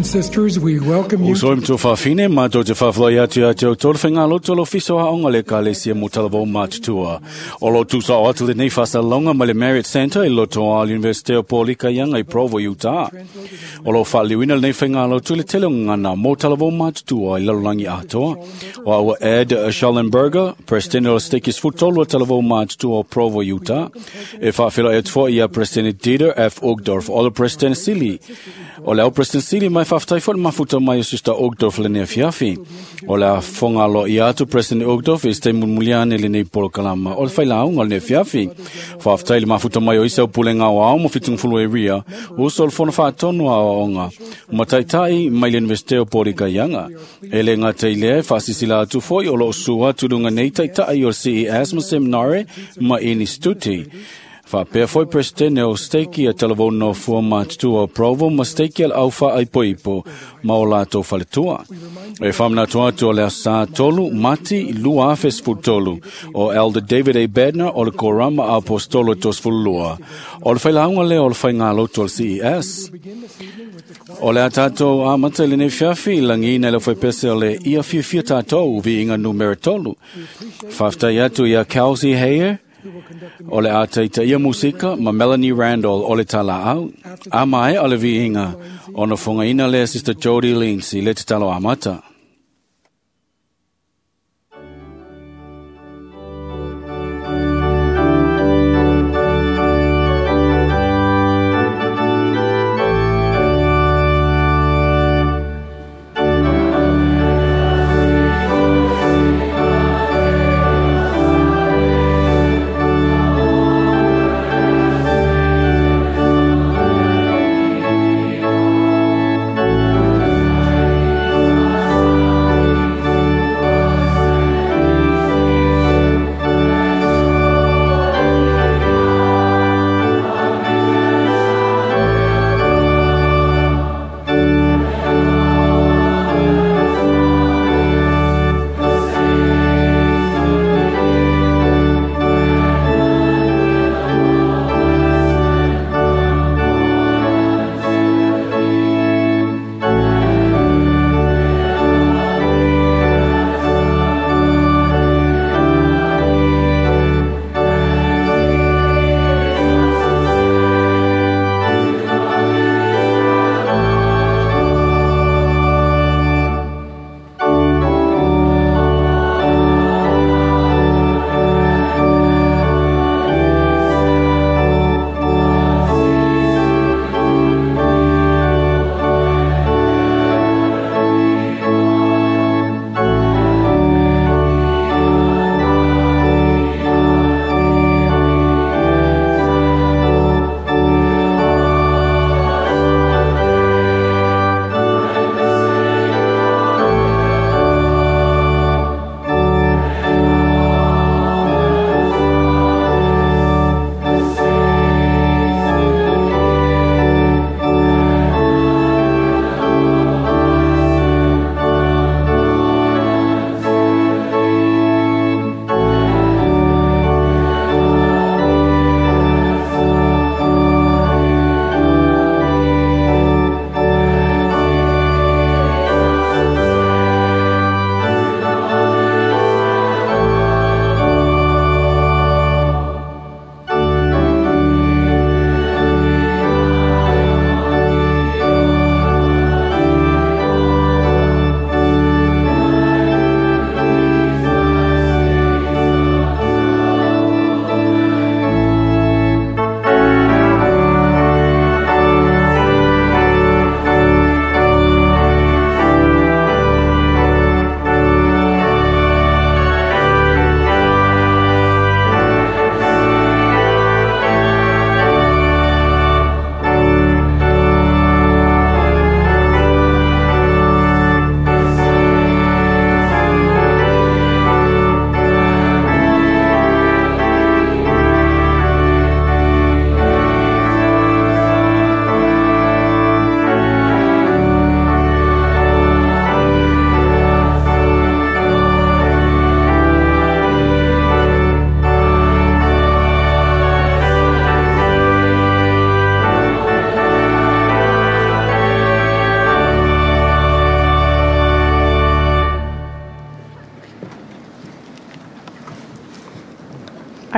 sisters, we welcome you. Uso i mtua whawhine, mātou te whawhlai atu ia te au tōru whainga loto lo fiso haonga le kalesia mo talavou mātutua. O lo tūsa o atu le nei whasalonga ma le Marriott Center i loto a University o Polika Ianga i Provo, Utah. O lo whaaliwina le nei whainga loto le tele o ngana mo talavou mātutua i lalolangi atoa. O aua Ed Schallenberger, President o Stekis Futolo talavou mātutua o Provo, Utah. E whawhila e tfo ia President Dieter F. Uchtdorf, o le President Sili. O le au President Sili mai whaftai fo le mafuta mai o Sister Uchtdorf le nea fiafi. O le a fonga lo ia atu President Uchtdorf e ste mulmuliane le nei polo kalama. O le whaila aunga le nea fiafi. Whaftai le mafuta mai o isa o pulenga o ao mo fitungfulu e ria. O so le fono whaatonu a onga. Mataitai mai le Universite o Porika Ianga. E le ngā teilea e whaasisila atu foi o lo sua turunga nei taitai o CES ma seminare ma inistuti. Whapea foi presidente o steki a talavou no fua mātutua o Provo ma steki al auwha ai poipo ma o lātou whaletua. E whamna atu o lea sa tolu, mati lua afes tolu o Elder David A. Bednar o le Korama Apostolo tos fulua. O le whailaunga lea o le whaingalo tol CES. O le a tātou a mata le nei fiafi, langi nei le whaipese o le ia fia tātou vi inga numera tolu. Whaftai atu ia Kelsey Hayer, o le ata ia musika ma Melanie Randall o le tala au. A mai o le viinga o na fongaina le Sister Jody Lindsay le te talo amata.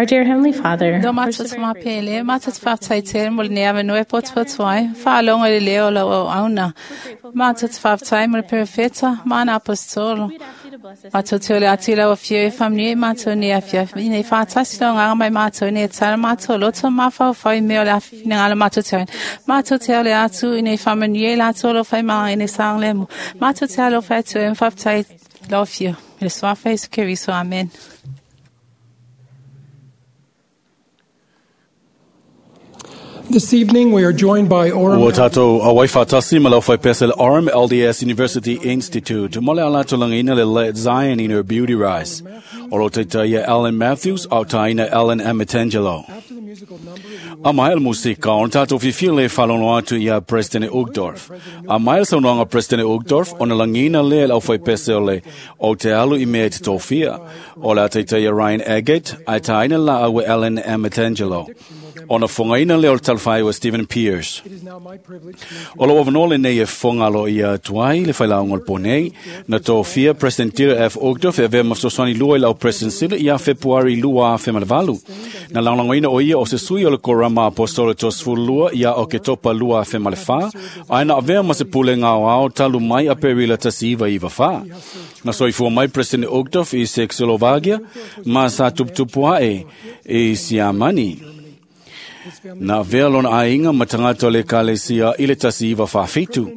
Our dear Heavenly Father, Lo we're matou so te very mapele, matou te whaftai mo le nea manu e poto ai, whaalonga le leo lau au auna. Matou te whaftai mo le perefeta, mana apostolo. We'd ask you to bless us. Matou te ole atu i lau afio e whamnui e matou ni afia. Ina i whātasi lau nganga mai matou ni e tala matou loto mawhau whai mea o le awhina ngala matou te aina. Matou te ole atu ina i whamanui e lātou lo whai maanga ina i saang lemu. Matou te alo whai atu e mwhaftai lau afio. I le swafa Isu Keriso. Amen. This evening, we are joined by Orem. Ua tātou awai whātasi ma lau whai pese le Orem LDS University Institute. Mo le ala tūlanga le Let Zion in her Beauty Rise. O lo teita ia Alan Matthews, au taina Alan Amatangelo. After the musical number, we will A mai el musika, o tātou whiwhia le whalono atu ia President Uchtdorf. A mai el saunoanga President Uchtdorf, o na langina le lau whai pese o le o te alu i mea te tōwhia. O la teita ia Ryan Agate, ai taina la awe Alan Amatangelo. O na whangaina le o le talwhai o Stephen Pierce. It is now my privilege to introduce O lo avanole nei e whangalo ia tuai le whailaongo le ponei, na tō President Tira F. Uchtdorf e vea mafsoswani lua i lau President Sila ia Februari lua a whemanawalu. Na langlangoina o ia o se sui o le korama apostolo tō lua ia o ke topa lua a whemalewha, ai na avea ma se pule ngā ao talu mai a perila tasi iwa iwa wha. Na soifua mai President Uchtdorf i Sexolovagia, ma sa tuptupua e i Siamani. Na vea lona ainga ma tangata o le kalesia i le tasi iwa whawhitu.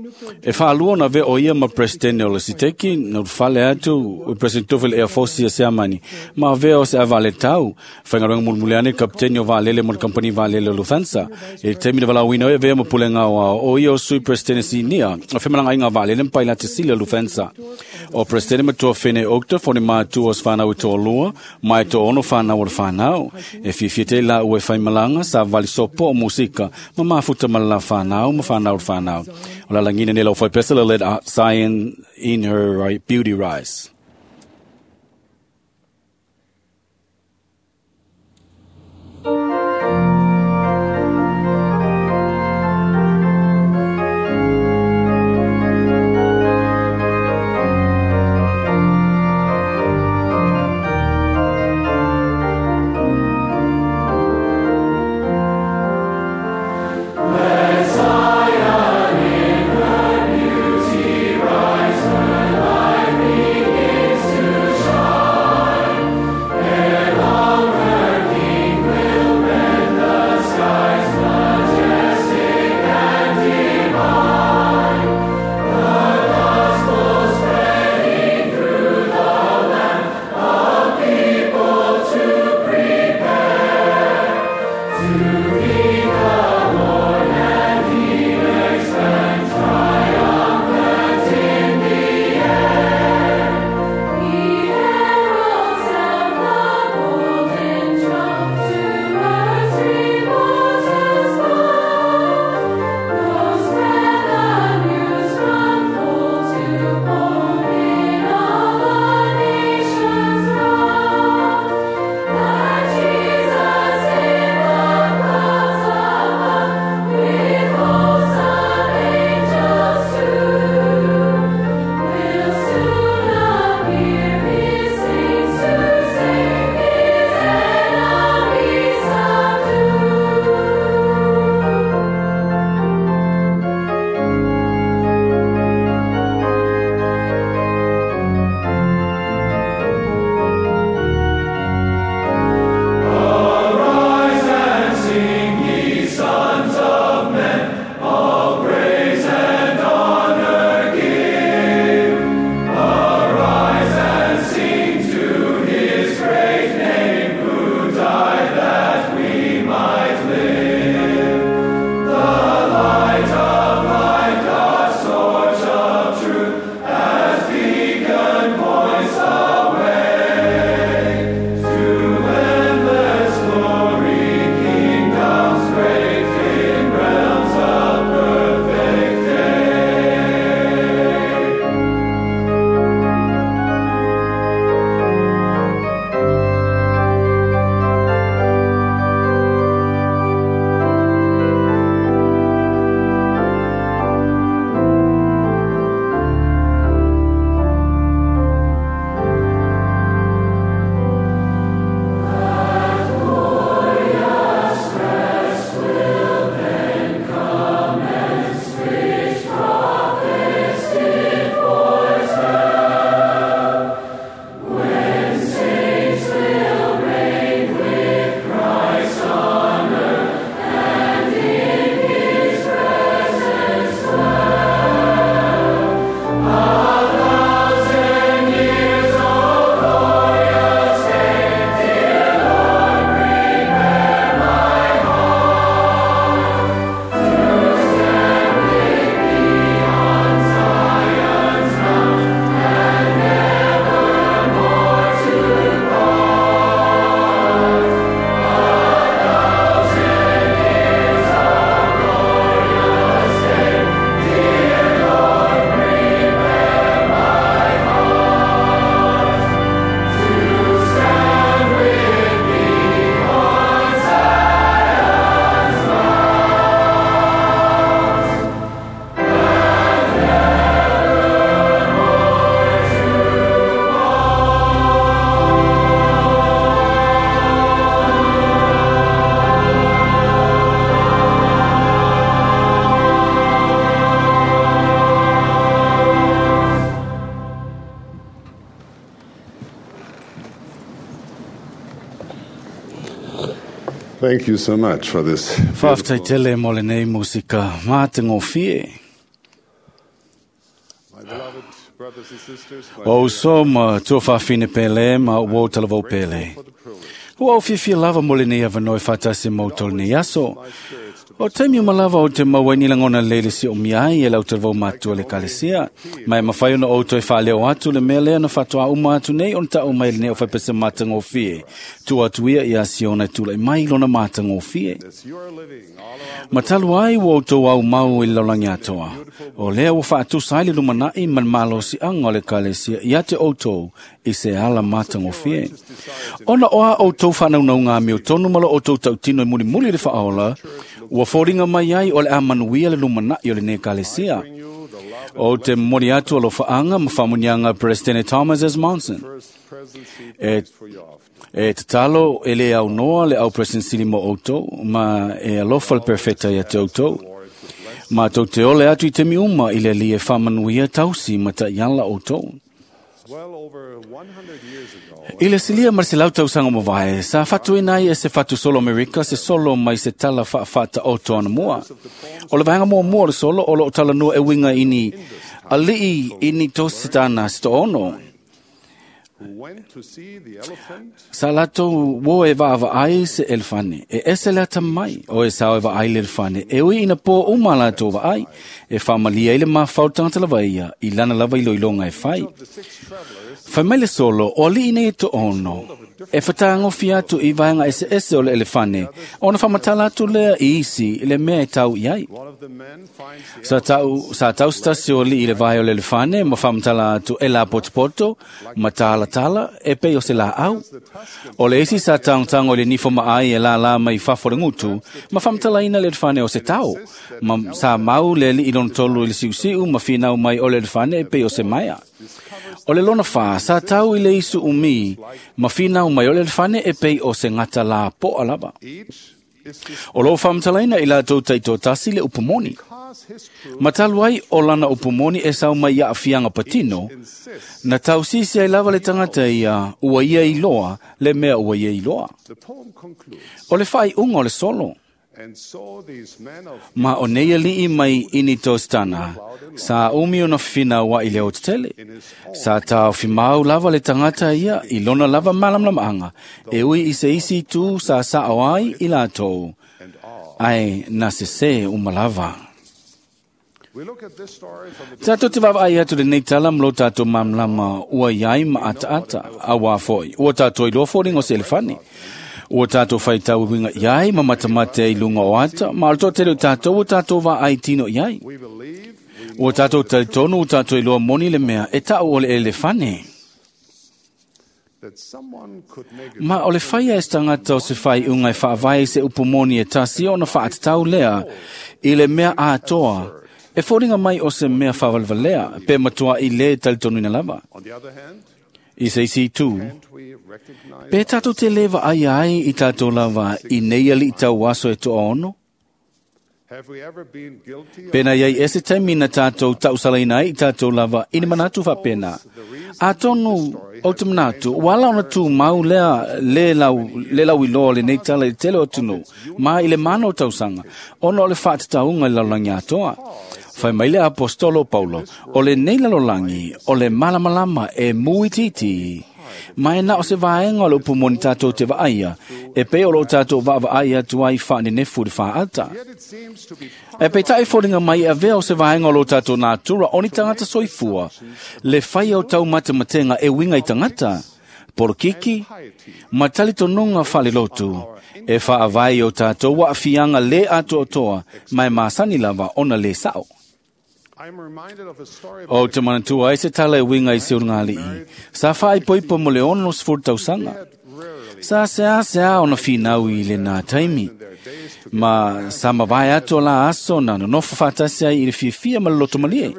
E whaalua na vea o ia ma presidente o le siteki, na whale atu, o president Tufel Air Force ia Siamani. Ma vea o se avale tau, whaingaruanga mulmuleane kapteni o Valele mo le kampani Valele o Lufthansa. E te mina wala wina e vea ma pulenga o ao, o ia o sui presidente sinia, o whemalanga inga Valele mpai la te sila Lufthansa. O presidente matua whene okta, fone mātua o swhanau i tō lua, mai tō ono whanau o le whanau. E whiwhia te la ue whaimalanga, sa vali sopo o musika, ma mafuta ma la whanau, ma whanau o le whanau. O la langina ne lau whaipesa le let Zion in her beauty rise. Zion in her beauty rise, her life begins. Thank you so much for this. Whaftai tele mo le nei musika mā te ngōwhie. My beloved brothers and sisters, my O so ma tuawhawhine pele ma uo talavau pele. for the privilege. Ua au fiafia lava mo le nei avanoe whatasi mau tolu nei aso. O taimi uma lava o te maua ni langona lele si o miai e lau talavau matua le kalesia. Mai mawhai ona o toi whaaleo atu le mea lea na whatoa uma atu nei on ta o mai le nei o whaipese mātangōwhie. Tu atu ia i a siona tūlai mai lona mātangōwhie. As you are living all around Matalu ai ua outou au mau i le lalolagi atoa. O lea ua faatusa ai le lumanai ma le malosiaga o le ekalesia ia te outou i se ala matagofie. Ona o a outou faanaunauga amio tonu ma lo outou tautino e mulimuli le faaola, ua foliga mai ai o le a manuia le lumanai o lenei ekalesia. you, the love O te momoli atu alofaaga ma faamuniaga Presidente Thomas S. Monson. first presidency E prays for you often. E tatalo e le au noa le au presidency mo outou, ma e alofa le perfeta ia te outou. Lord, to bless Ma tou te ole atu i te mi uma i le li e whamanuia tausi ma ta iala outou. well over 100 years ago, I le silia ma se lau tausanga mo vae, sa whatu inai e se whatu solo Amerika, se solo mai se tala wha o toana mua. O le vaenga mua mua o le solo, o lo o tala nua e winga ini, alii ini tō se tāna se to ono. who went to see the elephant Sa latou wo e vaava ai se elefane, e ese le ata mai, o e sao e vaai le elefane, e ui ina pō uma latou vaai, e whaamalia i le mawhau tangata lava ia, i lana lava i loilonga e whai. the six travelers Whai mai le solo, o alii nei e to ono, e whatangofi atu i vaenga ese ese o le elefane, ona whamatala atu lea i isi i le mea e tau i ai. one of the men finds the Sa tau, sa tau stasi o li i le vai o le elefane, ma whamatala atu e la potopoto, ma tala tala, e pei o se la au. O le isi sa tauntango i le nifo ma ai e la la mai fafo le ngutu, ma whamatala ina le elefane o se tau. Ma sa mau le li i lona tolu i le siusiu, ma whinau mai o le elefane e pei o se maia. O le lona wha, sa tau i le isu umi, ma whinau mai o le elefane e pei o se ngata la poa lava. each is to O lo whamatalaina i la tau taito tasi le upumoni. cause his truth Matalu ai o lana upumoni e sau mai ia awhianga patino, insists. na tau sisi ai lava le tangata ia, ua ia i loa, le mea ua ia i loa. The poem concludes, O le whai unga o le solo, and so these men of ma o nei alii mai ini tostana, sa umi ona whina wa i le o tetele. Sa tau whimau lava le tangata ia, i lona lava malamlamanga, e ui i se isi tu sa sa o ai i lātou. and awe. Ai na se se umalava. We look at this story from a Tātou te wawa ai atu le nei tala mlo tātou mamlama ua iai ma ata ata a wā foi. Ua tātou i loa fōringo se elefane. Ua tātou whai tau winga iai ma matamate i lunga o ata. Ma alto te leo tātou ua tātou wā ai tino iai. we believe we Ua tātou talitonu ua tātou i loa moni le mea e tau o le elefane. that someone could make a Ma o le whaia e stangata o se whai unga e whaavai se upumoni e tasi ona whaatatau lea i le mea atoa. E fōringa mai o se mea whawalwalea pe matua i le talitonu ina lava. On the other hand, I se isi tū, can't we recognize pe tātou te lewa ai ai i tātou lava i nei ali i tau aso e toa ono? have we ever been guilty of Pena iai ese taimi na tātou tausalaina ai i tātou lava i ni manatu whapena. A tonu o te manatu, wala ona tū mau lea le lau, le lau i loa le nei tala i tele o tunu, ma i le mana o tausanga, ona o le whaatataunga i lalolagi atoa. Whai mai le apostolo Paulo, o le nei lalolagi, o le malamalama e muititi. Mai na o se vaenga o le upumoni tātou te vaaia, e pe o lo tātou vaavaai atu ai whanenefu le whaata. Yet it seems to be E pe tae fōringa mai a vea o se vaenga o lo tātou nātura o ni tangata soifua, le whai o tau matematenga e winga i tangata, porokiki, ma talitonunga whale lotu, e whaavai o tātou wa whianga le atoa toa, mai māsani lava ona le sao. I'm reminded of a story O te manatua ai se tala e winga i se urungalii. Sa whai poipo mo le ono sfur tausanga. rarely Sa se a se a ona whinau i le nā taimi. their days to Ma sa mawai ato la aso na nonofo whatasi ai i le fiafia ma le loto malie.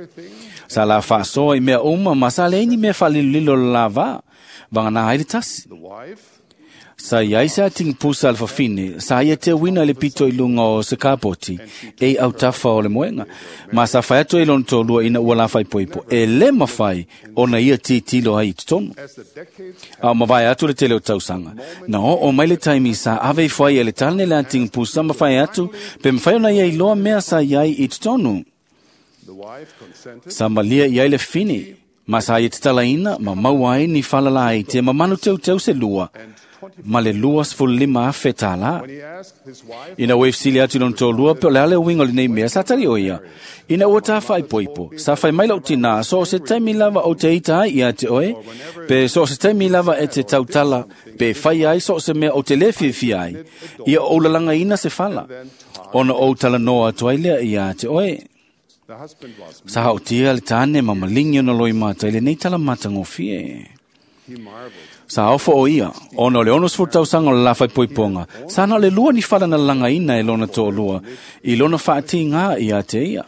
Sa la whaasoa i mea uma ma sa le ini mea whalililo la vā. Vanga nā ai le tasi. the wife Sa iai se atingi pusa al fafine, sa ia te wina le pito i lunga o se kapoti, e au tafa o le moenga. Ma sa whai atu e lona tōlua ina ua la whai poipo, e le mawhai o na ia titilo ai i totonu. A mawai atu le tele o tausanga. Na o mai le taimi sa ave i whai e le talne le atingi pusa ma whai atu, pe mwhai ona ia i loa mea sa iai i totonu. Sa malia iai le fini, ma sa ia te talaina, ma mauai ni whalala ai te mamanu teu teu se lua, ma le 25,000 tālā. Ina ua ifisili atu lona tōlua, pe o le ale uiga o lenei mea, sa tali o ia. Ina ua tāwhai poipo, sa whai mai lau tina, so o se taimi lava o te ita ai ia te oe, pe so o se taimi lava e te tautala, pe whai ai so o se mea o te le fiafia ai, ia o lalanga ina se whala. Ona o tala noa atu ai lea ia te oe. Sa hao tia le tāne ma malingi ona loi mata i le nei tala mata ngofie. Sa ofo o ia, ona o le 60 tausaga o le lafai poipoga, sa na o le lua ni fala na lagaina e lona toʻalua, i lona faatiga ia te ia.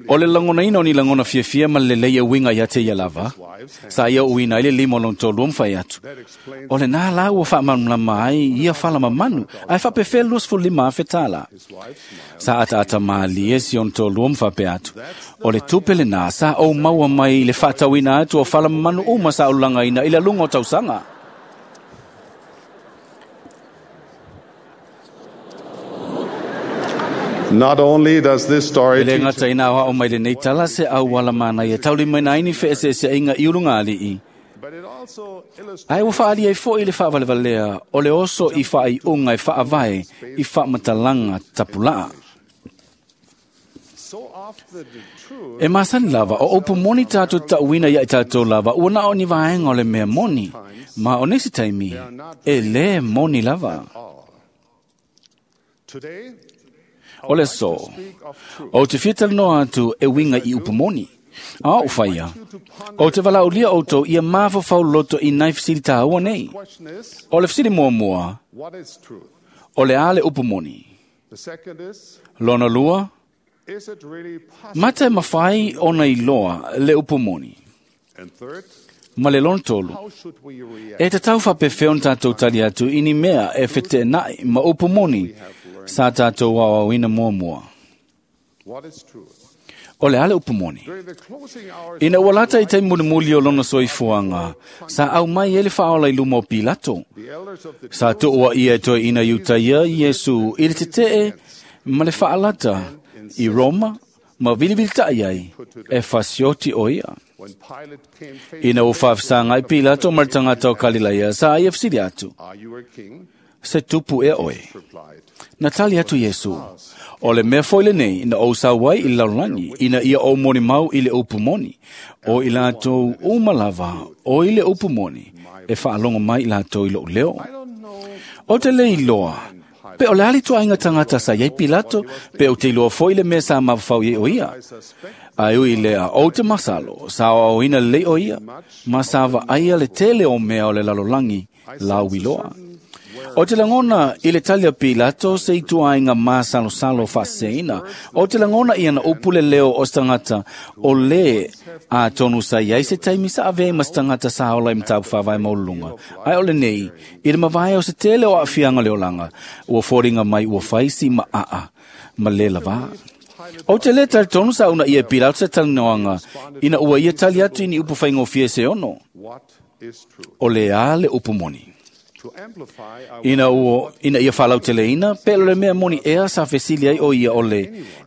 O le lagonaina o ni lagona fiafia ma le lelei e uiga ia te ia lava, sa ia uina ai le lima o lona toʻalua ma fai atu. O lenā la ua faamalamalama ai ia fala mamanu, ae faapefea le 25,000 tālā. Sa ataata malie si ona toʻalua ma faapea atu. O le tupe lenā sa ou maua mai i le faatauina atu o fala mamanu uma sa ou lagaina i le aluga o tausaga. Not only does this story E le gata ina ao mai lenei tala se auala manaia taulimaina ai ni feeseeseaiga i uluga alii. but it also illustrates Ae ua faaali ai foʻi le faavalevalea o le oso i faaiuga e faavae i faamatalaga tapulaa. so often the truth E masani lava, o upu moni tātou tauina ia i tātou lava, ua na o ni vaenga o le mea moni, ma o nisi taimi, e le moni lava. all. Today, O le so, speak of truth. o te fia talanoa atu e winga i upu moni. A o whaia, o te walaulia outou ia mawhawhau loto i nai fisili tāua nei. Question is, O le fisili mua mua, what is truth? o le ale upu moni. The second is, Lona lua, is it really possible? mata e mawhai ona iloa le upu moni. And third, Ma le lona tolu, how should we react? E te tau whapewheo na tātou tali atu i ni mea e whete nai ma upu moni sa tātou wawawina mua mua. What is truth? O le ale upu moni. During the closing hours Ina ua lata i tai mulimuli o lona soifuaga, sa au mai e le whaola i luma o Pilato. the elders of the Sa tuua ia e toe ina iutaia Iesu i le tetee ma le whaalata i Roma ma vilivilita'i ai e fasioti o ia. when Pilate came face Ina to ua face whaafisanga ai Pilato ma le tangata o Kalilaia, sa ai e fesili atu, Are you a king? se tupu e oe. Replied. Na tali atu Iesu, o le mea foi lenei na ou sau ai i le lalolagi, ina ia ou moni mau i le upu moni, o i latou uma lava, o i le upu moni, e faalogo mai i latou i lou leo. I don't know O te le iloa, pe o le ali tuaiga tagata sa iai Pilato, pe o te iloa foi le mea sa mafafau iai o ia. I suspect Ai ui lea, o te masalo, sa o ina lei o ia, ma sa vaaia le tele o mea o le lalolagi, lau iloa. O te langona i le tali a Pilato se i tuaiga masalosalo faaseseina. O te langona ia na upu le leo o se tagata o le a tonu sa iai se taimi sa avea ma se tagata sa ola i mataupu faavae maululuga. Ae o lenei, i le mavae o se tele o aafiaga o le olaga, ua foliga mai ua faisi ma aa ma le lavā. O te le talitonu sa una ia e Pilato se talanoaga, ina ua ia tali atu i ni upu faigofie se ono, what is truth. o le a le upu moni. To amplify, I Ina ua ina ia faalauteleina, pe o le mea moni ea sa fesili ai o ia o le,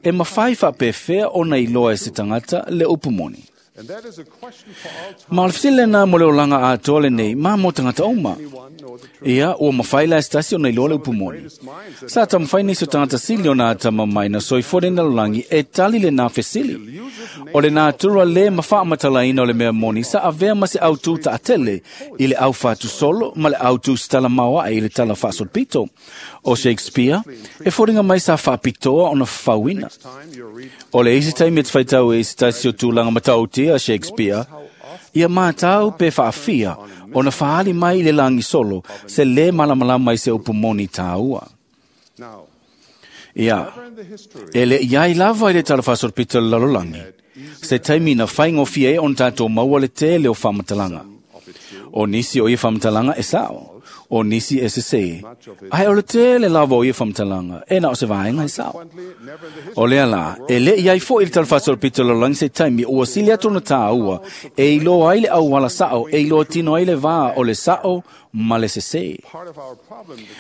e mawhai faapefea ona iloa e se tagata le upu moni. and that is a question for all time. Ma o le fesili lena mo le olaga atoa lenei, ma mo tagata uma. Anyone know the truth? Ia, ua mawhai la e se tasi ona iloa le upu moni. Sa tamawhai nisi o tagata sili ona atama mai na soifua le lalolagi e tali le nā fesili. O le natura le mawhaamatalaina o le mea moni sa avea ma se autū taatele i le au whātusolo ma le autū stala maoa i le tala whaasolopito. O Shakespeare, e fōringa mai sa whaapitoa ona whawina. Time you read O le isi taimi e te whaitau e isi taisi o tūlanga matautia Shakespeare, ia mātau pe whaafia ona whaali mai i le langi solo se le malamalama i se upu moni tāua. now. Ia, Ever in the history e le iai lava i le tala whaasolopito le lalolagi, se taimi na whaingofia e on tātou maua le tele o whaamatalaga. O nisi o ia faamatalaga e sa'o, o nisi e sesē, ae o le tele lava o ia faamatalaga e na o se vaega e sa'o. O lea lā, e lē i ai fo'i le talafaasolopito o le lalolagi se taimi ua sili atu ona tāua e iloa ai le auala sa'o e iloa tino ai le vā o le sa'o ma le sesē.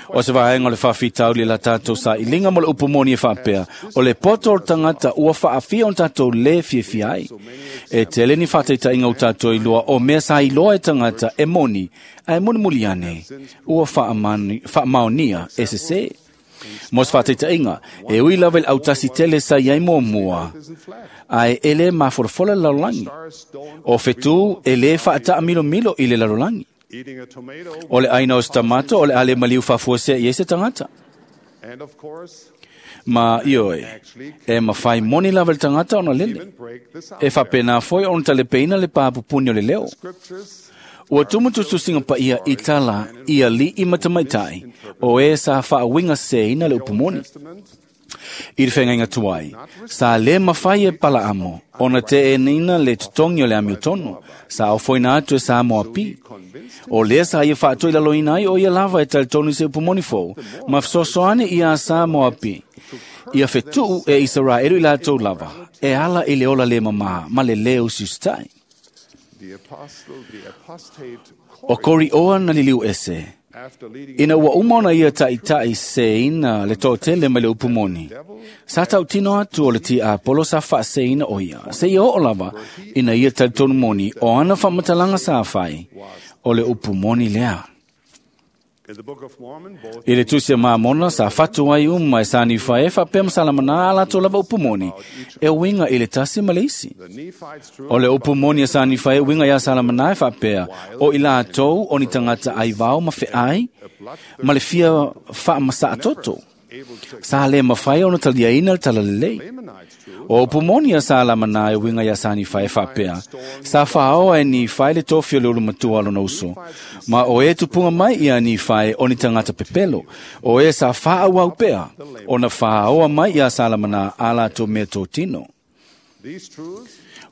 O se vaega o le faafitauli la tatou sailiga mo le upu moni e faapea, o le poto o le tagata ua faafia ona tatou lē fiafia ai. E tele ni faataitaiga ua tatou iloa o mea sa iloa e tagata e moni, ae mulimuli ane ua faamaonia e sesē. Mo se faataitaiga, e ui lava i le autasi tele sa iai muamua, ae e lē mafolafola le lalolagi. O fetū e lē faataamilomilo i le lalolagi. O le ʻaina o se tamato o le a le maliu faafuasea i ai se tagata. Ma ioe, e mafai moni lava le tagata ona lele. E faapena foi ona talepeina le pā pupuni o le leo. Ua tumu tusitusiga paia i tala i aliʻi ma tamaitai o e sa faauiga sesēina le upu moni. I le feagaiga tuai, sa lē mafai e Palaamo ona teʻenaina le totogi o le amiotonu, sa ofoina atu e sa Moapi. O lea sa ia faatoilaloina ai o ia lava e talitonu i se upu moni fou, ma fesoasoani iā sa Moapi. Ia fetuʻu e Isaraelu i latou lava, e ala i le ola lē mamā ma le lē usiusitai. O Korioa na liliu ese, ina ua uma ona ia taʻitaʻi sesēina le toʻatele mai le upu moni, sa tautino atu o le tiapolo sa faasēina o ia, seia oo lava ina ia talitonu moni o ana faamatalaga sa fai, o le upu moni lea. I le Tusi a Mamona sa fatu ai uma e sa Nifae e faapea ma Salamanā a latou lava upu moni, e uiga i le tasi ma le isi. O le upu moni a sa Nifae e uiga iā Salamanā e faapea, o i latou o ni tagata aivao ma feai, ma le fia faamasaatoto. Sa lē mafai ona taliaina le talalelei. O upu moni a Salamanā e uiga iā sa Nifae e faapea, sa faaoa e Nifae le tofi o le ulumatua a lona uso, ma o e tupuga mai iā Nifae o ni tagata pepelo, o e sa faaauau pea ona faaoa mai iā Salamanā a latou mea totino.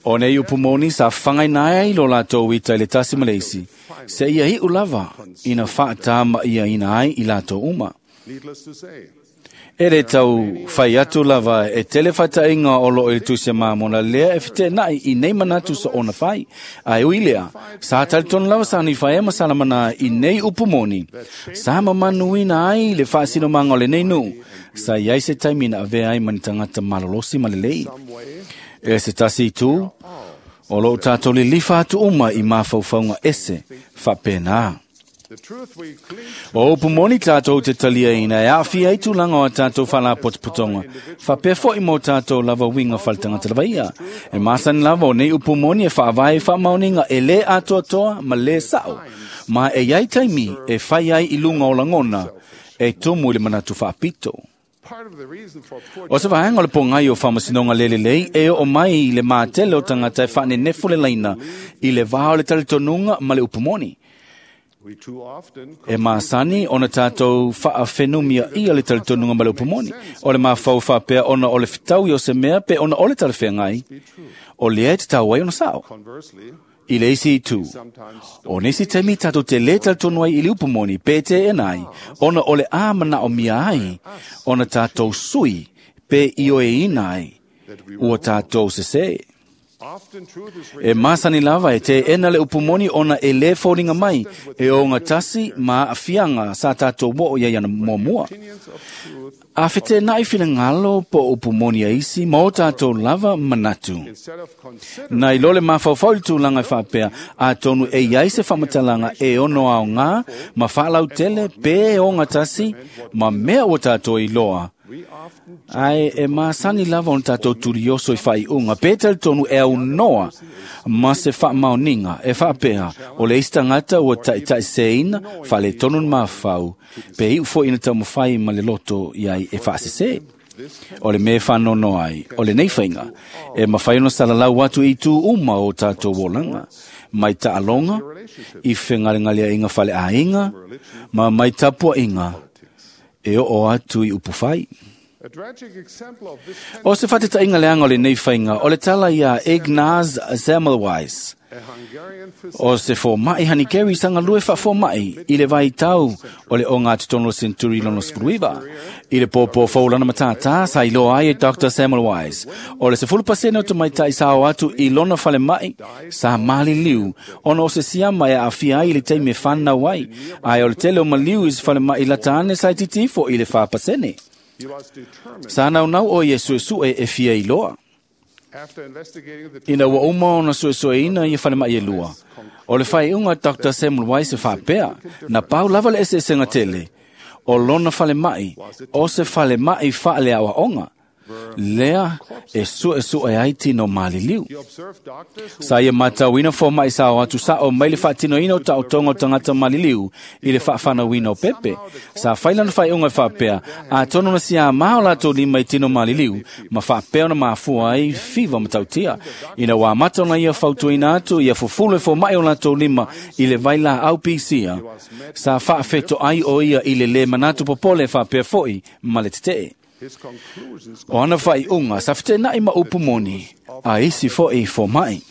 O nei upu moni sa fagaina ai lo latou ita i le tasi ma le isi, seia iʻu lava ina faatamaʻiaina ai i latou uma. E le tau fai atu lava e tele faataʻiga o loo i le Tusi a Mamona lea e feteenaʻi i nei manatu soona fai. Ae ui lea, sa talitonu lava sa Nifae ma Salamanā i nei upu moni, sa mamanuina ai le faasinomaga o lenei nuu, sa iai se taimi na avea ai ma ni tagata malolosi ma lelei. E se tasi itu, o loo tatou lilifa atu uma i mafaufauga ese faapena. O upu moni tatou te taliaina e aafia ai tulaga o a tatou faalapotopotoga, faapea foʻi mo tatou lava uiga faletagata lava ia. E masani lava o nei upu moni e faavae i faamaoniga e lē atoatoa ma lē saʻo, ma e iai taimi e fai ai i luga o lagona e tumu i le manatu faapito. O se vaega o le pogai o faamasinoga lē lelei e oo mai i le matele o tagata e faanenefu le laina i le vā o le talitonuga ma le upu moni. E masani ona tatou faafenumiaʻia le talitonuga ma le upu moni. O le mafau faapea ona o le fetaui o se mea pe ona o le talafeagai, o lea e tatau ai ona saʻo. I le isi itu, o nisi taimi tatou te lē talitonu ai i le upu moni pe teena ai, ona o le a manaʻomia ai ona tatou sui pe ioeina ai ua tatou sesē. E masani lava e teena le upu moni ona e lē foliga mai e ogatasi ma aafiaga sa tatou oo iai ana muamua. A fetenaʻi finagalo po o upu moni a isi ma o tatou lava manatu. Na i lo le mafaufau i le tulaga e faapea, atonu e iai se faamatalaga e ono aogā ma faalautele pe e ogatasi ma mea ua tatou iloa, ae e masani lava ona tatou tulioso i faaiuga pe talitonu e aunoa ma se faamaoniga e faapea o le isi tagata ua taʻitaʻiseina faaletonu le mafau pe iʻu foʻi ina taumafai ma le loto iai e faasesē. O le mea e faanoanoa ai, o lenei faiga, e mafai ona salalau atu i itu uma o tatou olaga, mai taaloga, i fegalegaleaʻiga faleaiga, ma mai tapuaʻiga e oo atu i upu fai. O se faataitaiga leaga o lenei faiga, o le tala iā Ignaz Semmelweis. O se fōma'i hanikeri sanga lue wha-fōma'i i le vai tau o le o ngā titono centuri lono spruiva. I le pōpō fōlana matātā sa iloa ai e Dr. Semmelweis. O le 10% o te maitai sa o atu i lona whale mai sa mali liu ona o se siama e awhia ai i le teime whanau ai. Ai o le tele o maliu i se whale mai latane sa i titifo i le 4%. Sa naunau o ia suesue e fia iloa. Ina ua uma ona suesueina ia whale mai e lua. O le whaiunga Dr. Semmelweis e whapea, na pau lava le eseesenga tele. O lona whale mai, o se whale mai whaale awa onga. Lea e suesue ai tino maliliu. Sa ia matauina fō mai sa o atu sa o mai le whaatinoina o tautonga o tangata maliliu i le whawhanauina o pepe. Sa whailana whaiunga e whapea, a tono na sia mao lātou lima i tino maliliu, ma whapea na mafua ai fiva matautia. Ina wā mata ona ia fautuina atu, ia fufulu e fō mai o lātou lima i le vaila au pisia. Sa whaafeto ai o ia i le le manatu popole whapea foi ma le tetee. O ana whaiunga, sa whitenai ma upu moni, a isi fo e fo mai.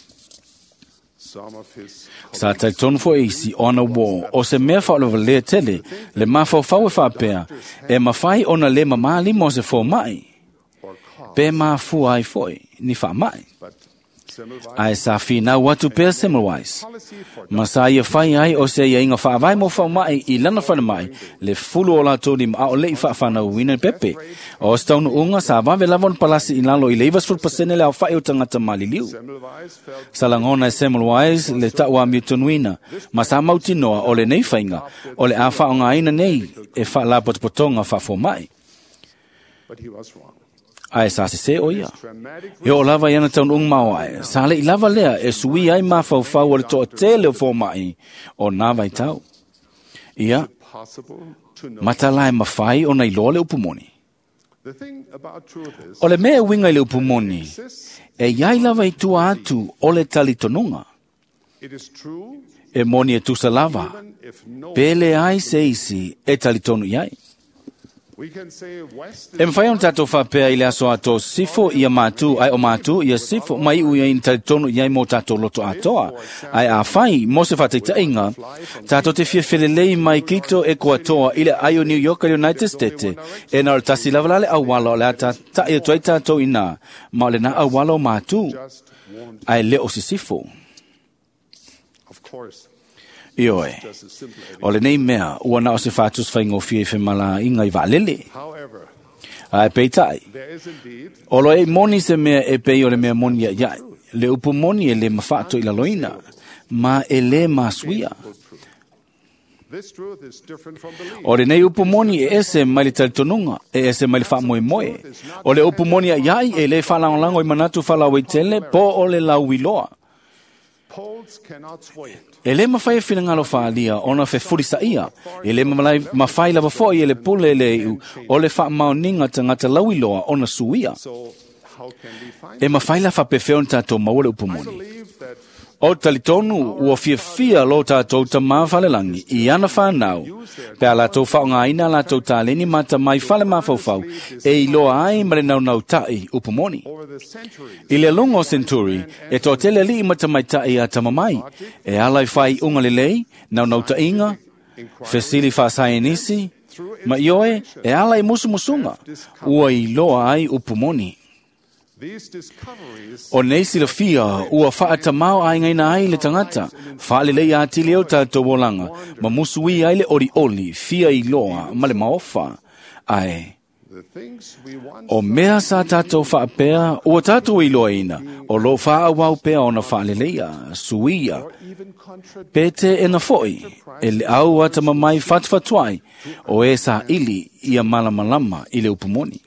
Sa talitonu fo isi o ana wō, o se mea whaolawa lea tele, le mawhauwhau e whapea, e mawhai ona le mamali mo se fo mai. Pe mafua ai foi, ni wha mai. Ai sa whinau atu pea Semmelweis. Ma sa ia whai ai o se ia inga whaavai mo whaumai i lana whanamai le fulu o lātou ni maa o lei whaawhanau wina pepe. O se taunu unga sa wawe lava palasi i lalo i le 90% le au whai o tangata maliliu. Sa langona e Semmelweis le taua miutonuina. Ma sa mautinoa o le nei whainga o le a whaonga aina nei e wha potopotonga whaafomai. Ai sa se se o ia. E o lava iana taun ung mau ai. Sa le i lava lea e sui ai mawhauwhau o le toa tele o fōmai o nā vai tau. Ia, matala e mawhai o nei loa le upumoni. O le mea winga i le upumoni, e iai lava i tua atu o le talitonunga. E moni e tusa lava, pele ai se isi e talitonu iai. E mwhai on tātou whapea i le aso ato sifo ia mātu, ai o mātu, ia sifo mai u ia in talitonu iai mō tātou loto atoa. Ai a whai, mō se whateitainga, tātou te fia whilelei mai kito e koatoa i le ai o New York a United States. E nā o le tasi lawalale au wala o le ata tai atu ai tātou ina, ma o le nā au wala o mātu, ai le o sisifo. Ioe, o le nei mea, ua na o se whātus whaingofia i whemala inga i waalele. Ai peitai, o lo e moni se mea e pei o le mea moni ia iai, le upu moni e le mawhaato i laloina, ma e le masuia. O le nei upu moni e ese mai le talitonunga, e ese mai le whaamoemoe. O le upu moni ia iai e le whalangolango i manatu whalawetele po o le lauiloa. E le mawhai e whinangalo whaalia ona fe furisa ia. E le mawhai lava foi e le pule le iu o le whaamaoninga tangata lauiloa ona suia. E mawhai la whapewheo tātou maua le upumoni. O talitonu ua fiafia lo tātou ta mā whalelangi i ana whānau. Pea lātou whaongaina lātou tāleni mata mai whale mawhauwhau e iloa ai ma le naunau tai upumoni. I le lunga o Centuri, e tō tele li mata mai tai a tamamai. E ala i whai unga lelei, naunau tainga, fesili whaasaenisi, ma ioe e ala i musumusunga, ua iloa ai upumoni. O nei silafia ua whaatamau ai ngaina ai le tangata, whaalelei a tile o tātou olanga, ma musui ai le ori oli, fia i loa, ma le maofa. Ai, o mea sa tātou whaapea, ua tātou i loa ina, o lo whaawau pea ona whaaleleia, suia, pete e na foi, e le au atamamai whatuwhatuai, o e sa ili ia malamalama i le upumoni.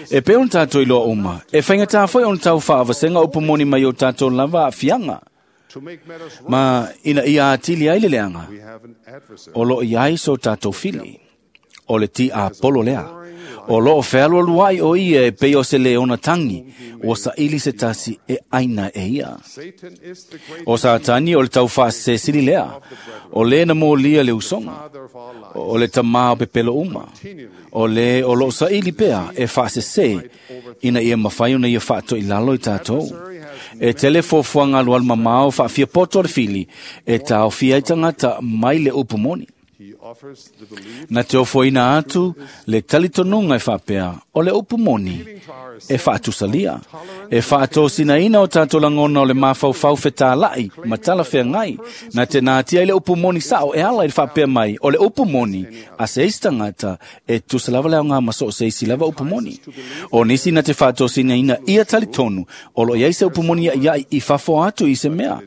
E pe on tātou i loa uma, e whainga tā foi on tau whaawasenga upumoni mai o tātou lava a fianga. Ma ina ia atili ai le leanga, o lo iai so tātou fili, o le ti a polo lea. O lo o whealua luai o ia e pei o se leona tangi, o sa ili se tasi e aina e ia. O Satani o le tau whaase sili lea, o le na mōlia le usonga, o le tamā o pepelo uma, o le o lo sa ili pea e whaase se, ina ia mawhai ona ia whaato i lalo i tātou. E tele fuafuaga alualu mamao faafiapoto o le fili e taofia ai tagata mai le upu moni. Na te ofoina atu le talitonuga e faapea o le upu moni e faatusalia, e faatosinaina o tatou lagona o le mafaufau fetāla'i ma talafeagai. Na te natia i le upu moni sao e ala i le faapea mai o le upu moni a se isi tagata e tusa lava le aoga ma so o se isi lava upu moni. O nisi na te faatosinaina ia talitonu o lo o i ai se upu moni iaʻiaʻi i fafo atu i se mea,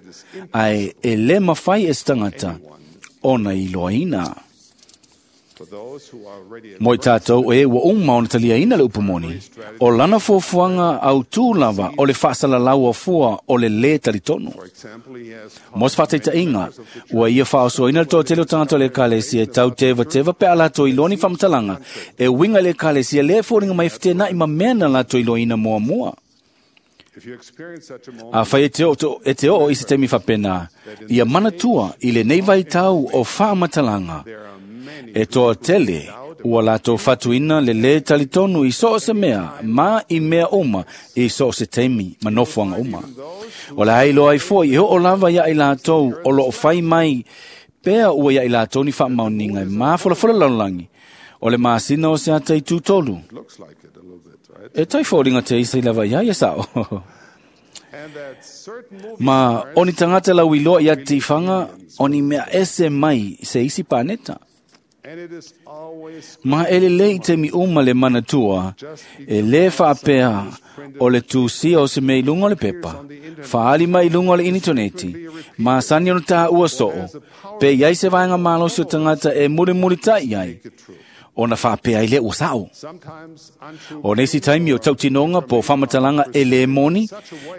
ae e lē mafai e se tagata ona iloaina. Mo i tātou e ua uma ona taliaina le upu moni, o lana fuafuaga autū lava o le faasalalau afua o le lē talitonu. Mo se faataitaiga, ua ia faaosoina le toatele o tagata o le ekalesia e tau tevateva pe a latou iloa ni faamatalaga e uiga i le ekalesia lea e foliga mai e fetenaʻi ma mea na latou iloaina muamua. Afai e te oo i se taimi faapena, ia manatua i lenei vaitau o faamatalaga, e toatele ua latou fatuina le lē talitonu i so o se mea ma i mea uma i so o se taimi ma nofoaga uma. O le a iloa ai foi e oo lava ia i latou o loo fai mai pea ua ia i latou ni faamaoniga e mafolafola lalolagi o le masina o se ata i tutolu. E tai foliga te isa i lava iai e sao. Ma o ni tagata lauiloa ia te tifaga o ni mea ese mai se isi paneta. Ma e lelei i taimi uma le manatua, e lē faapea o le tusia o se mea i luga o le pepa, faaali mai i luga o le initoneti, masani ona tāua soo, pe i ai se vaega malosi o tagata e mulimulitaʻi ai, ona faapea ai lea ua sao. O nisi taimi o tautinoga po o faamatalaga e lē moni,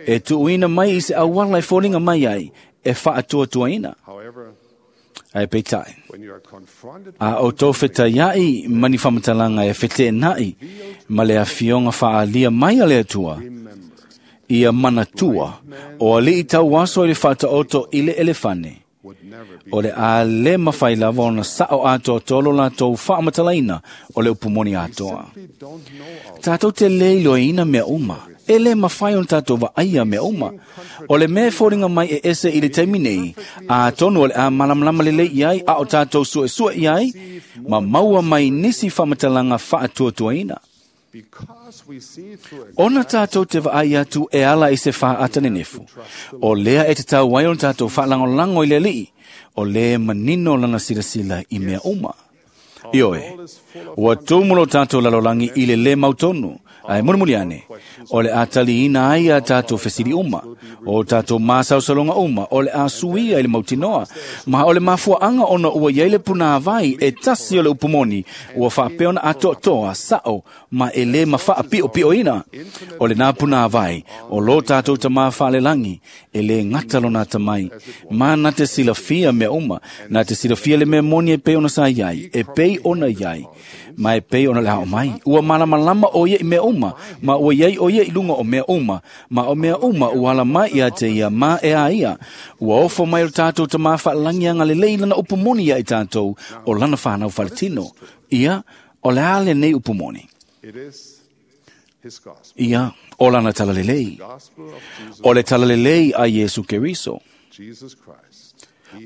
e tuuina mai i se auala e foliga mai ai, e faatuatuaina. Ae peitai, a o tou fetaiaʻi ma ni faamatalaga e feteenaʻi ma le afioga faaalia mai a le Atua, ia manatua o alii tauaso i le faataoto i le elefane, o le a lē mafai lava ona sao atoatoa lo latou faamatalaina o le upu moni atoa. Tatou te lē iloaina mea uma, e lē mafai ona tatou vaaia mea uma. O le mea e foliga mai e ese i le taimi nei, atonu o le a malamalama lelei i ai a o tatou suesue i ai, ma maua mai nisi faamatalaga faatuatuaina. Ona tātou te vaai atu e ala i se faata nenefu, o lea e tatau ai ona tātou faalagolago i le alii, o lē manino lana silasila i mea uma. Ioe, ua tumu lo tātou lalolagi i le lē mautonu, ae mulimuli ane, o le a taliina ai a tātou fesili uma, o tātou masaosaloga uma, o le a suia i le mautinoa, ma o le mafuaʻaga ona ua iai le punāvai e tasi o le upu moni, ua faapea ona atoatoa sao ma e lē mafaapiʻopiʻoina. O lenā punāvai, o lō tātou tamā faalelagi, e lē gata lona atamai, ma na te silafia mea uma, na te silafia le mea moni e pei ona sa iai, e pei ona iai, ma e pei ona le ao mai. Ua malamalama o ia i mea uma, ma ua iai o ia i luga o mea uma, ma o mea uma ua ala mai ia te ia ma e a ia. Ua ofo mai o tātou tamā faalagi agalelei lana upu moni ia i tātou o lana whanau faletino. Ia, o le a lenei upu moni. Ia, o lana talalelei. O le talalelei a Iesu Keriso.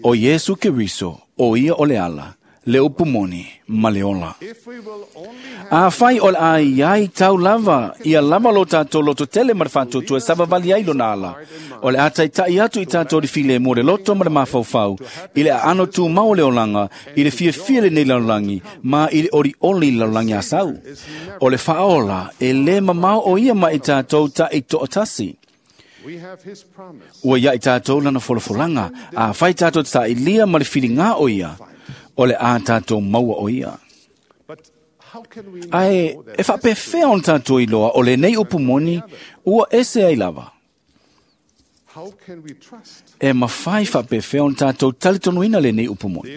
O Iesu Keriso, o ia o le ala, le upu moni ma le ola. A fai o le a iai tau lava, ia lava lo tātou loto tele ma le faatuatua e savavali ai lona ala. O le a taitaʻi atu i tātou le file mo le loto ma le mafaufau, i le aano tumau o le olaga, i le fiafia lenei lalolagi, ma i le olioli lalolagi a sau. O le faaola e lē mamao o ia ma i tātou taʻi toʻatasi. Ua ia i tātou lana folafolaga, a fai tātou te saʻilia ma le filigā o ia, o le a tātou maua o ia. Ae e faapefea ona tātou iloa o lenei upu moni ua ese ai lava. E mafai faapefea ona tātou talitonuina lenei upu moni.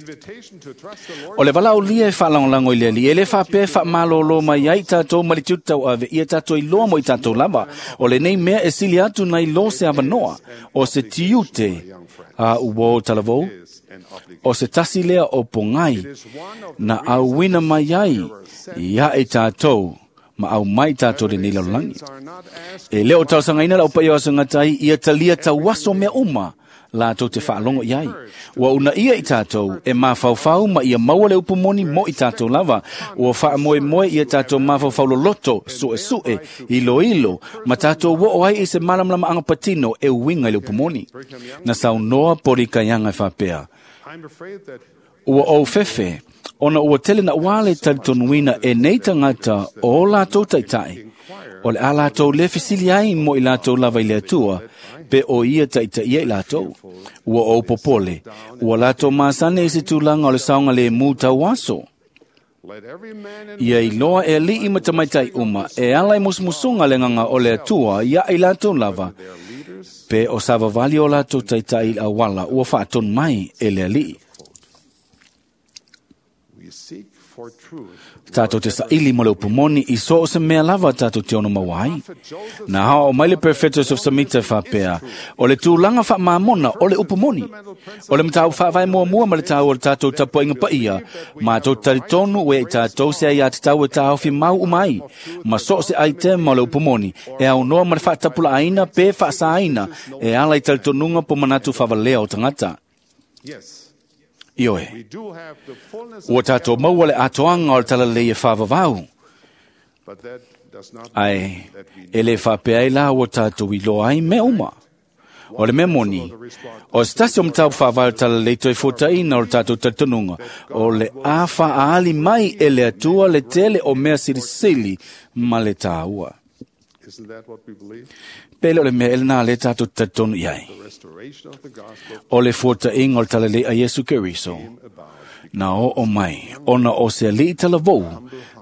O le valaaulia e faalagolago i le alii, e lē faapea e faamalōlō mai ai tātou ma le tiute tauave ia tātou iloa mo i tātou lava. O lenei mea e sili atu nai lō se avanoa, o se tiute a ua o talavou, o se tasi lea o pogai na auina mai ai ia i tātou Ma au mai tātou le nei lalolagi. E leo tausangaina lau pai o asangatai ia talia tauaso mea uma lātou te whaalongo iai. Ua una ia i tātou e mawhauwhau ma ia maua le upumoni mo i tātou lava. Ua whaamoe moe ia tātou mawhauwhau loloto, sue sue, ilo ilo, ma tātou wo o ai i se malamlama anga patino e uinga i le upumoni. Na saunoa pori kaianga e whapea. Ua ou fefe, ona ua tele na wale talitonuina e nei tangata o lātou taitai. O le a lātou le fisili ai mo i lātou lava i le atua, pe o ia taitai ia i lātou. Ua ou popole, ua lātou masane i se tūlanga o le saonga le mū tauaso. Ia iloa e alii ma tamaitai uma, e ala i musumusunga le nganga o le atua ia i lātou lava, pe o savavali o lātou taitai i awala ua whaatonu mai e le alii. Tātou te saili mo le upumoni i so o se mea lava tātou te ono mawai. Nā hao o mai le perfecto Joseph Smith e whapea, o le tūlanga wha maamona o le upumoni. O le matau whaavai mua mua ma le tau o le tātou tapuainga paia, mātou taritonu ue i tātou se ai a te tau e tāofi mau umai. Ma so o se ai te ma o le upumoni, e au noa ma le whaatapula aina pe whaasaina, e ala i taritonunga po manatu whawalea o tangata. Ioe, ua tātou maua le atoanga o le talalei e whawawau. Ai, e le whapea ai la ua tātou i loa ai mea uma. O le mea moni, o se tasi o matau whawau talalei toi fōtaina o le tātou talitonunga, o le a whaali mai e le atua le tele o mea silisili ma le tāua. Pele o le mea ele nā le tātou talitonu i ai. O le fōtainga o le talalei a Yesu Keriso. Nā o o mai, ona o se alii talavou,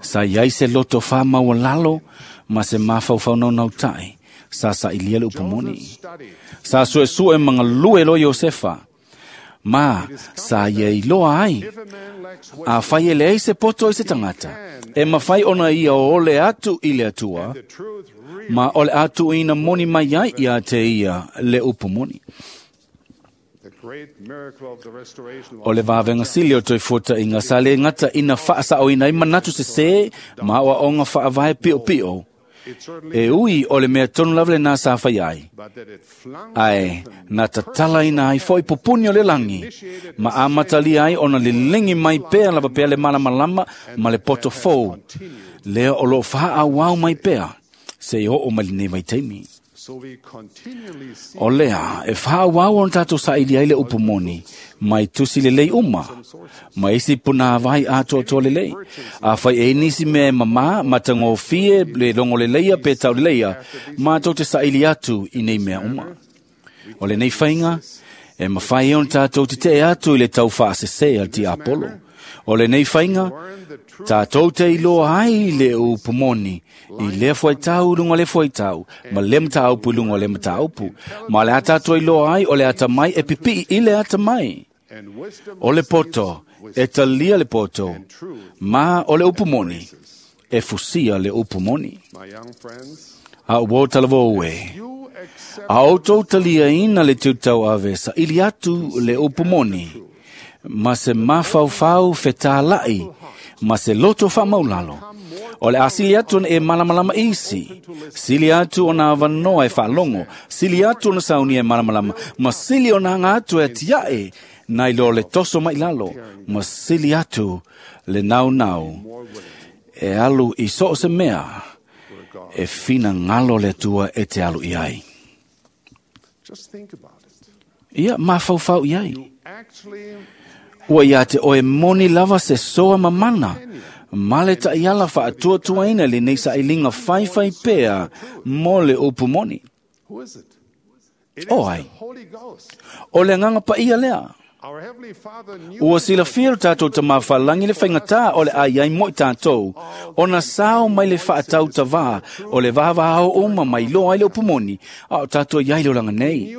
sa iai se loto wha maua lalo, ma se mawhauwhau nau nau tai, sa sa ilia le upumoni. Sa sue sue mga lue lo Iosefa, ma sa ia iloa ai, a whai ele ei se poto i se tangata, e mawhai ona ia o ole atu i le atua, ma ole atu ina moni mai ai ia te ia le upumoni. O le vavenga sili o toi fota inga sa le ngata ina whaasa o ina i manatu se se, ma oa onga whaavae pio pio. E ui o le mea tonu lava le nā sa whai ai. Ai, nā tatala ina ai foi pupuni o le langi. Ma amatalia ai ona le lengi mai pea lava pea le malamalama ma le poto fou. Lea o lo whaa wau mai pea. Se i o mai le nei taimi. O lea, e whaawau on tātou saili ai le upumoni, mai tusi le lei uma, mai isi puna vai atoa toa le lei. A whai e nisi mea mama, matangofie, le longo le leia, pe tau le leia, mātou te saili atu i nei mea uma. O le nei whainga, e mawhai on tātou te te atu i le tau whaasese al ti Apollo. O le nei whainga, tātou te iloa ai le upumoni, i le fuaitau lunga le fuaitau, ma le mataupu lunga le mataupu. Ma le ata iloa ai o le ata mai e pipi i le ata mai. O le poto, e talia le poto, ma o le upumoni, e fusia le upumoni. A uo talavo ue, a outou talia ina le tutau avesa, ili atu le upumoni, ma se mawhauwhau whetālai, ma se loto whamaulalo. O le asili atu e malamalama isi, sili atu o nā wanoa e whaalongo, sili atu o na sauni e malamalama, ma sili o nā ngā atu e tiae, nai lo le toso mai lalo, ma sili atu le nau nau, e alu i so se mea, e whina ngalo le atua e te alu i ai. Ia, mawhauwhau i ai. Ua ia te oe moni lava se soa mamana, ma le ta'iala fa'atuatuaina lenei sa'iliga faifai pea mo le upu moni. O ai, o le agaga paia lea. Ua silafia lo tatou tamāfalagi le faigatā o le aiai mo i tatou, ona sao mai le fa'atautavā o le vavao uma mai loa ai le upu moni, a o tatou iai le olaga nei.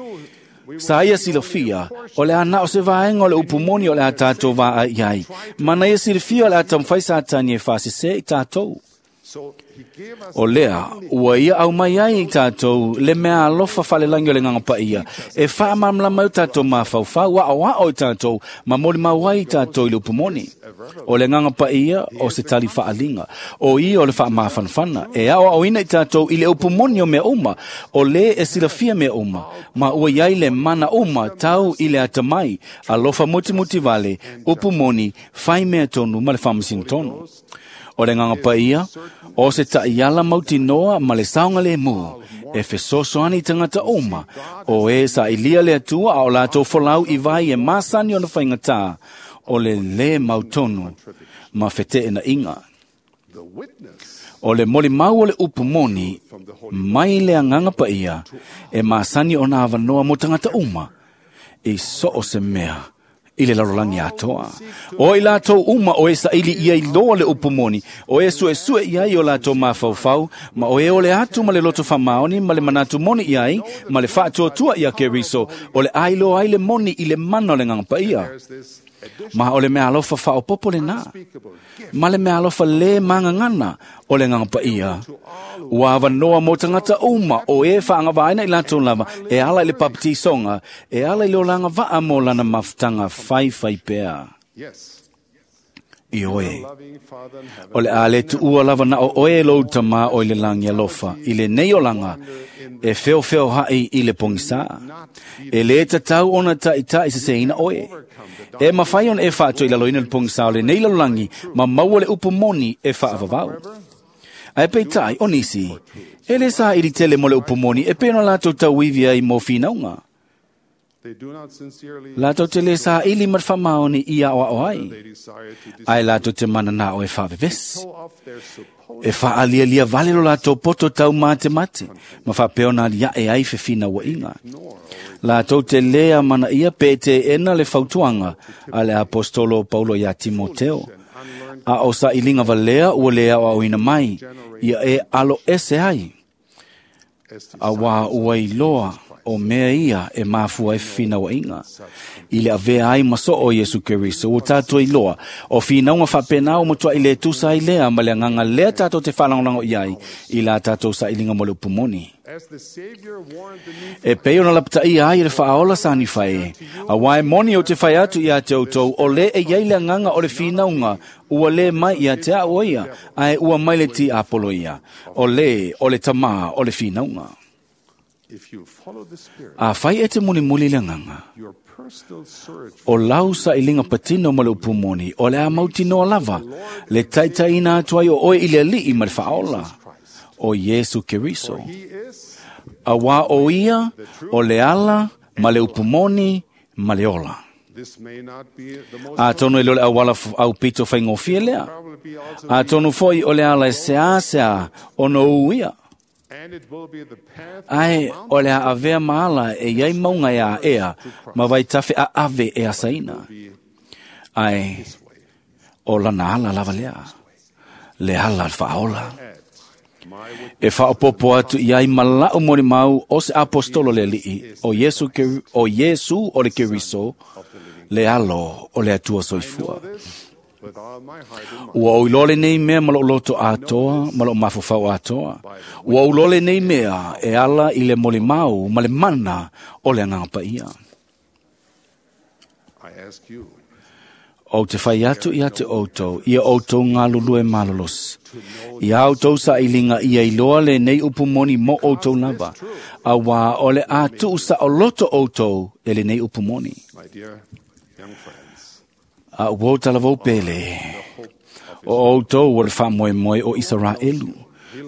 Sa ia silafia, o le ana o se vaenga o le upumoni o le a tātou vā ai ai. Mana ia silafia o le a tamwhai sa tani e whaasese i tātou. O lea, ua ia au mai ai i tātou le mea alofa whalelangi o le nganga paia. E wha mamla mai o tātou mawhauwhau, a o a o tātou, ma moli mauai i tātou i le upumoni. O le nganga paia o se tali whaalinga. O ia o le wha mafanfana. E ao au ina i tātou i le upumoni o mea uma. O le e silafia mea uma. Ma ua iai le mana uma tau i le atamai. Alofa muti muti vale, upumoni, whai mea tonu ma le whamasino tonu. O le nganga paia, o se ta'iala mautinoa ma le saoga lemu, e fesoasoani tagata uma, o e sa'ilia le Atua a o latou folau i vai e masani ona faigatā, o le lē mautonu ma fete'ena'iga. O le molimau o le upu moni, mai le agaga paia, e masani ona avanoa mo tagata uma, i so o se mea i le lalolagi atoa. O i latou uma o e saili ia i loa le upu moni, o e suesue i ai o latou mafaufau, ma o e ole atu ma le loto famaoni, ma le manatu moni i ai, ma le faatuatua ia Keriso, o le ailoa ai le moni i le mana o le agaga paia. Ma o le mea alofa faaopopo lenā, ma le mea alofa lē magagana o le agaga paia. Ua avanoa mo tagata uma o e faagavāina i latou lava, e ala i le papatisoga, e ala i le olaga vaa mo lana mafutaga faifai pea. I oe, o le a le tuua lava na o oe lou tamā o i le lagi alofa, i le nei olaga, e feofeo ha'i i le pogisā. E lē tatau ona ta'ita'i seseina oe. E mawhai ona e whaato i laloina le pogisā o le nei lalolagi, ma maua le upu moni e whaavavau. Ae peitai o nisi, e le sa iri tele mo le upu moni e pena latou tauivi ai mo whinauga. Latou te le sa ili ma whamaoni i ao ao ai. Ai latou te mana nā o e whaavevesi. E whaalialia vale lo latou poto tau mate mate, ma whapeona lia e ai whiwhina wa inga. Latou te lea mana ia pe te ena le fautuanga a le apostolo Paulo ia Timoteo. A o sa ilinga valea ua lea o au ina mai, ia e alo ese ai. A wā ua iloa o mea ia e mafua e whina inga. I le avea ai maso o Yesu Keriso o tātou iloa. O whinaunga whapenau matua i le tusa i lea ma le anganga lea tātou te whalangolango iai i la tātou sa ilinga mo le upumoni. E pei ona lapataia ai le whaaola sani whae. A wae moni o te whai atu ia te outou o le e iai le anganga o le whinaunga ua le mai ia te ao ia, ae ua mai le ti apolo ia. O le, o le tamā, o le whinaunga. A whai e te muli muli le anganga. O lau sa ilinga patino ma le upumoni, o le a mautinoa lava, le taitaina atu ai o oe i le alii ma le whaaola, o Yesu Keriso. A wā o ia, o le ala, ma le upumoni, ma le ola. A tono i lole awala au pito whaingofie lea. A tono foi o le ala e sea sea o no uia. Ai o le a avea maala e iai maunga e a ea, ma vai tafe a ave e asaina. Ai o lana ala lava lea, le ala al whaola. E whaopopo atu i ai malau mori mau o se apostolo le alii, o Yesu, o Yesu o le Keriso, le alo o le atua soifua. Ua oilole nei mea ma loto atoa, ma lo mafufau atoa. Ua ulole nei mea e ala i le moli mau ma le mana o le anganga paia. O te whai atu ia te outou, ia outou ngā lulue malolos. Ia outou sa ilinga ia iloa le nei upu moni mo outou lava. A wā o le atu sa o loto outou e le nei upu moni. A uo talavou pele, o outou o le whamoe moe o Israelu.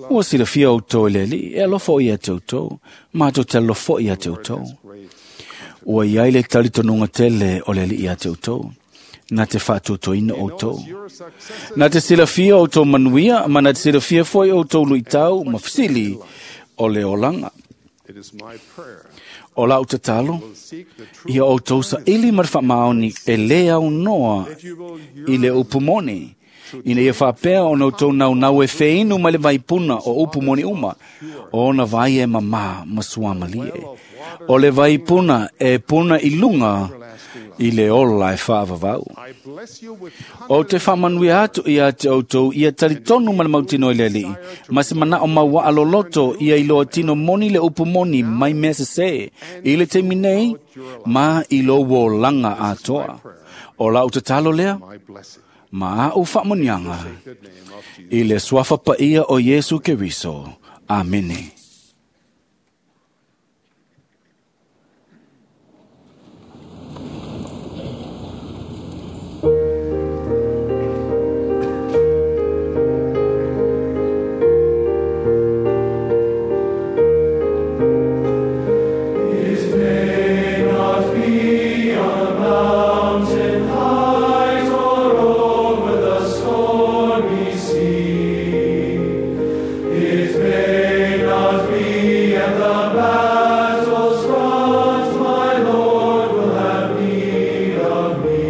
Ua silafia outou e le li, e alofo ia te outou, mātou te alofo ia te outou. Ua iai le talitonunga tele o le li ia te outou. Nā te whaatutoina outou. Nā te silafia outou manuia, ma nā te silafia foi outou luitau, ma fisili o le olanga. O lau tatalo, ia outou sa ili marwha maoni e le au noa i le upumoni. Ina ia faapea ona outou naunau e feinu mai le vaipuna o upu moni uma, o ona vai e mamā ma suamalie. O le vaipuna e puna i luga i le ola e faavavau. I bless you with O te faamanuia atu ia te outou ia talitonu ma le mautino i le Alii, ma se manao mauaa loloto ia iloa tino moni le upu moni mai mea sesē i le taimi nei ma i lou olaga atoa. O lau tatalo lea my blessing. ma au faamanuiaga The name of Jesus. i le suafa paia o Iesu Keriso. Amene. It may not be at the battle's front, my Lord will have need of me.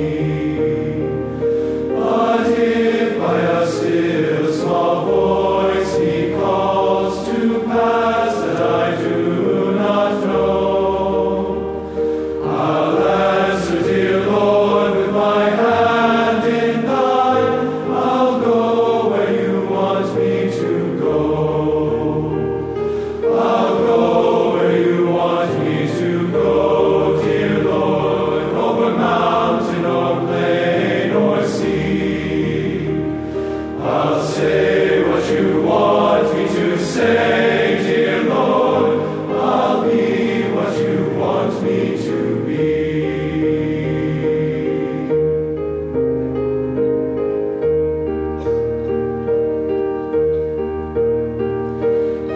But if by a still small voice he calls to pass that I do not know, I'll answer, dear Lord, with my hand in thine, I'll go where you want me to go. I'll go where you want me to go, dear Lord, over mountain or plain or sea. I'll say what you want me to say, dear Lord. I'll be what you want me to be.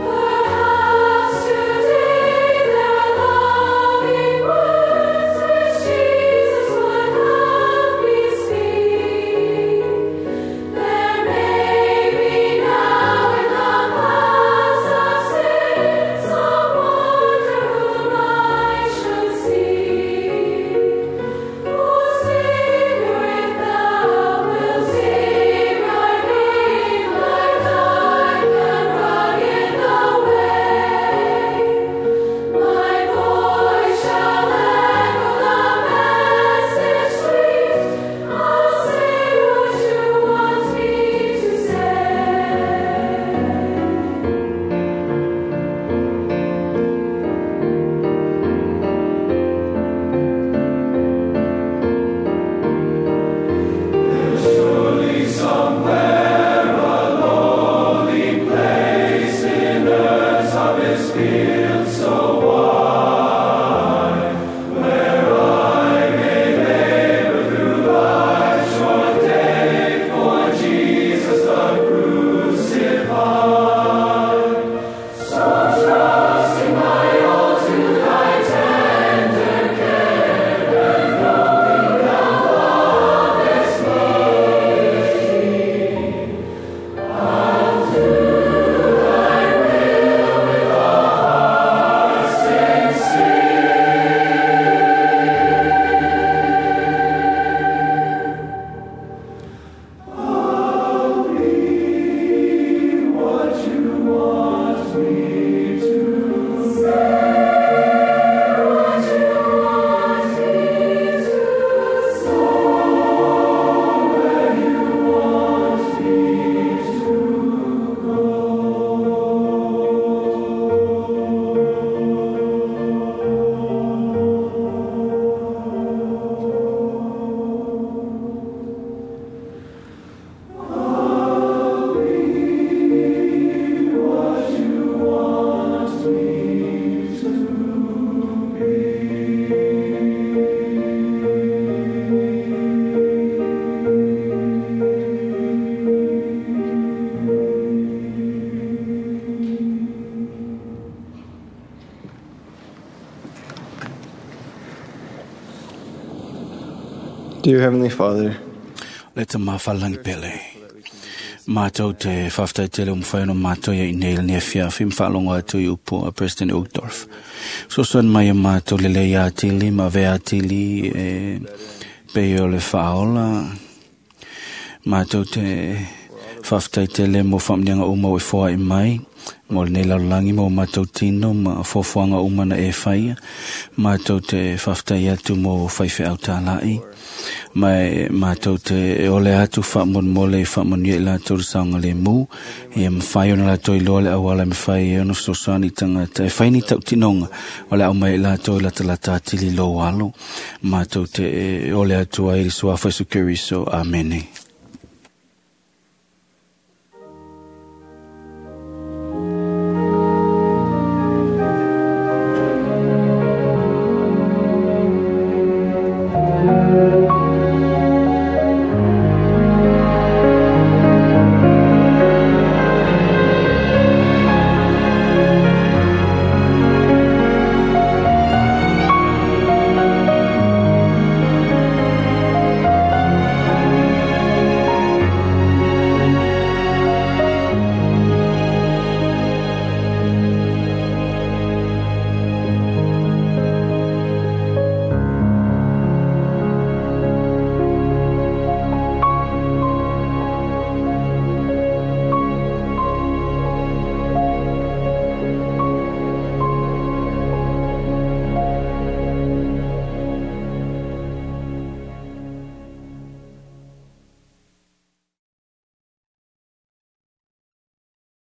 Perhaps today there are loving words which Jesus would have me speak. There may be now in the paths of sin some wonder whom I should seek. O Savior, if Thou wilt save me, like dark and rugged the way, my voice shall echo the message sweet. I'll say what You want me to say. Surely somewhere a lonely place in earth's harvest field so wide, where I may labor through life's short day for Jesus the crucified. So trusting my all to Thy tender care, and knowing Thou lovest me, I'll do Thy will with a heart sincere. I'll be what You want me to Say what You want me to say. Where You want me to go. I'll be what You want me to Dear Heavenly Father, Le te mawhalangi pele. Mātou te whawhtai tele o mwhai ono mātou ia i nei le fiafi mwhaalongo atu i upu a President Uchtdorf. Sosoan mai a mātou le lei atili, ma ve atili e pe o le whaola. Mātou te faafetai tele mo faamanuiaga uma ua e foai mai mo lenei lalolagi ma o matou tino ma fuafuaga uma na e faia. Matou te faafetai atu mo faifeau talai ma e matou te ole atu faamolemole e faamanuia i latou le saogalemu ia mafai ona latou iloa le auala e mafai ai ona fesoasoani i tagata e fai ni tautinoga o le a aumai i latou e latalata atili i lou alo. Matou te ole atu ai i le suafa o Iesu Keriso. Amene.